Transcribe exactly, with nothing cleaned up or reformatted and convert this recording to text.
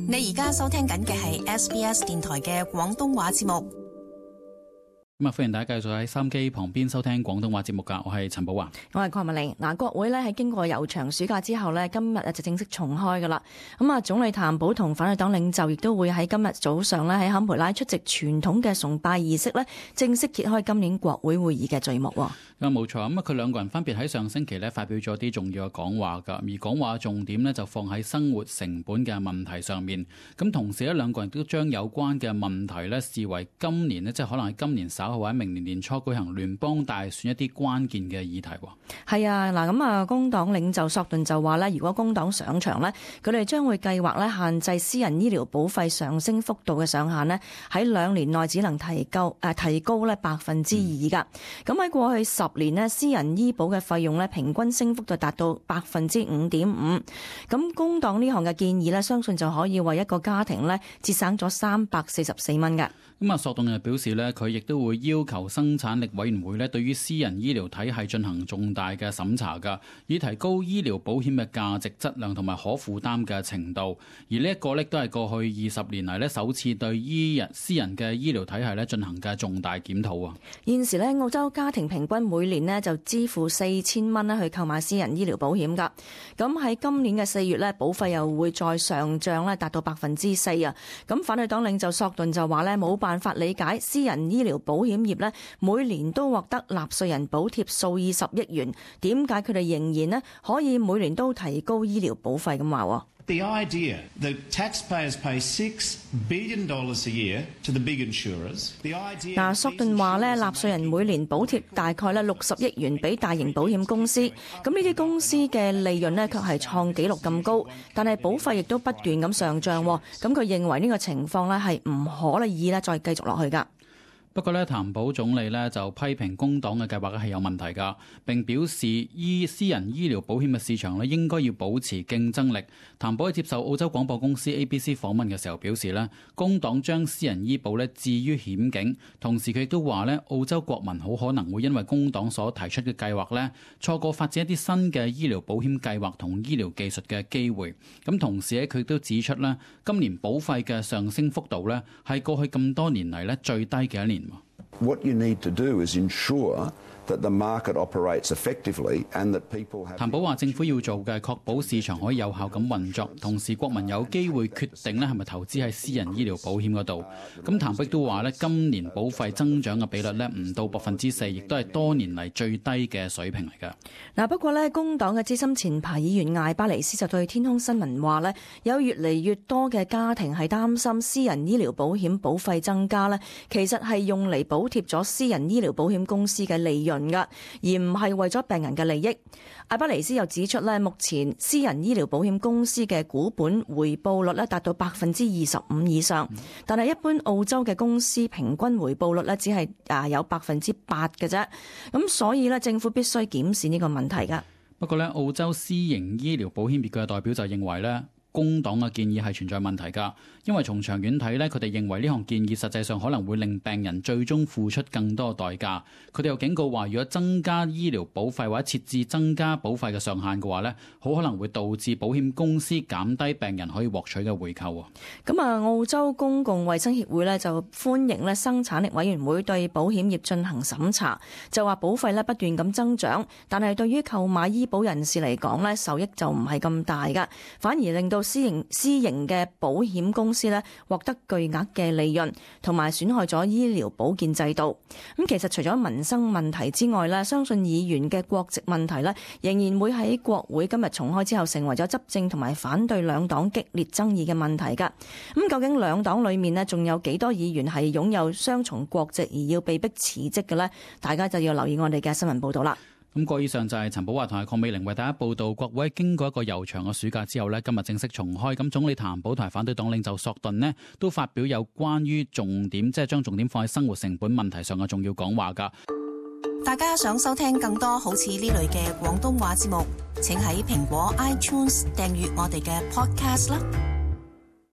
你而家收聽緊嘅係 S B S 電台嘅廣東話節目。咁啊，歡迎大家繼續喺收音機旁邊收聽廣東話節目噶，我係陳寶華，我係鄺文玲。嗱，國會咧喺經過悠長暑假之後咧，今日就正式重開噶啦。咁啊，總理譚寶同反對黨領袖亦都會喺今日早上咧喺坎培拉出席傳統嘅崇拜儀式咧，正式揭開今年國會會議嘅序幕。咁啊，冇錯。咁啊，佢兩個人分別喺上星期咧發表咗啲重要嘅講話噶，而講話重點咧就放喺生活成本嘅問題上面。咁同時咧，兩個人都將有關嘅問題咧視為今年咧，即係可能喺今年稍後或者明年年初舉行聯邦大選一啲關鍵嘅議題。係啊，嗱咁啊，工黨領袖索頓就話咧，如果工黨上場咧，佢哋將會計劃咧限制私人醫療保費上升幅度嘅上限咧，喺兩年內只能提高誒、呃、提高咧百分之二噶。咁喺、嗯、過去十年咧，私人醫保嘅費用咧平均升幅就達到百分之五點五。咁工黨呢項嘅建議咧，相信就可以為一個家庭咧節省咗三百四十四蚊嘅。咁啊，索頓又表示咧，佢亦都會要求生產力委員會咧，對於私人醫療體系進行重大嘅審查噶，以提高醫療保險嘅價值、質量同埋可負擔嘅程度。而呢一個咧，都係過去二十年嚟咧首次對醫人私人嘅醫療體系咧進行嘅重大檢討啊！現時咧，澳洲家庭平均每年咧就支付四千蚊咧去購買私人醫療保險噶。咁喺今年嘅四月咧，保費又會再上漲咧，達到百分之四啊！咁反對黨領袖索頓就話咧，冇辦法理解私人醫療保險業咧每年都獲得納稅人補貼數以十億元，點解佢哋仍然咧可以每年都提高醫療保費咁話？The idea that taxpayers pay six billion dollars a year to the big insurers. The idea 嗱，索頓話咧，納稅人每年補貼大概咧六十億元俾大型保險公司，咁呢啲公司嘅利潤咧卻係創紀錄咁高，但係保費亦都不斷咁上漲，咁佢認為呢個情況咧係唔可以咧再繼續落去㗎。不過咧，譚寶總理咧就批評工黨嘅計劃係有問題㗎，並表示醫私人醫療保險嘅市場咧應該要保持競爭力。譚寶喺接受澳洲廣播公司 A B C 訪問嘅時候表示咧，工黨將私人醫保咧置於險境，同時佢亦都話咧，澳洲國民好可能會因為工黨所提出嘅計劃咧，錯過發展一啲新嘅醫療保險計劃同醫療技術嘅機會。咁同時咧，佢亦都指出咧，今年保費嘅上升幅度咧係過去咁多年嚟咧最低嘅一年。What you need to do is ensure that the market operates effectively and that people have. 譚寶話：政府要做嘅係確保市場可以有效咁運作，同時國民有機會決定咧係咪投資喺私人醫療保險嗰度。咁譚碧都話咧，今年保費增長嘅比率咧唔到百分之四，亦都係多年嚟最低嘅水平嚟㗎。嗱，不過咧，工黨嘅資深前排議員艾巴尼斯就對天空新聞話咧，有越嚟越多嘅家庭係擔心私人醫療保險保費增加咧，其實係用嚟補貼咗私人醫療保險公司嘅利潤噶，而唔係為咗病人嘅利益。艾巴尼斯又指出咧，目前私人醫療保險公司嘅股本回報率咧達到百分之二十五以上，但係一般澳洲嘅公司平均回報率咧只係啊有百分之八嘅啫。咁所以咧，政府必須檢視呢個問題噶。不過咧，澳洲私營醫療保險業嘅代表就認為咧，工黨嘅建議係存在問題㗎，因為從長遠睇咧，佢哋認為呢項建議實際上可能會令病人最終付出更多代價。佢哋又警告話，如果增加醫療保費或者設置增加保費嘅上限嘅話咧，好可能會導致保險公司減低病人可以獲取嘅回扣啊。咁啊，澳洲公共衛生協會咧就歡迎咧生產力委員會對保險業進行審查，就話保費咧不斷咁增長，但係對於購買醫保人士嚟講咧，受益就唔係咁大㗎，反而令到私營私營嘅保險公司咧獲得巨額嘅利潤，同埋損害咗醫療保健制度。咁其實除咗民生問題之外咧，相信議員嘅國籍問題咧，仍然會喺國會今日重開之後成為咗執政同埋反對兩黨激烈爭議嘅問題㗎。咁究竟兩黨裏面咧仲有幾多議員係擁有雙重國籍而要被逼辭職嘅咧？大家就要留意我哋嘅新聞報導啦。咁個以上就係陳寶華同埋鄺美玲為大家報道，國會經過一個悠長嘅暑假之後呢，今日正式重開。咁總理譚寶同埋反對黨領袖索頓呢，都發表有關於重點，即係將重點放喺生活成本問題上嘅重要講話㗎。大家想收聽更多好似呢類嘅廣東話節目，請喺蘋果 iTunes 訂閱我哋嘅 podcast 啦。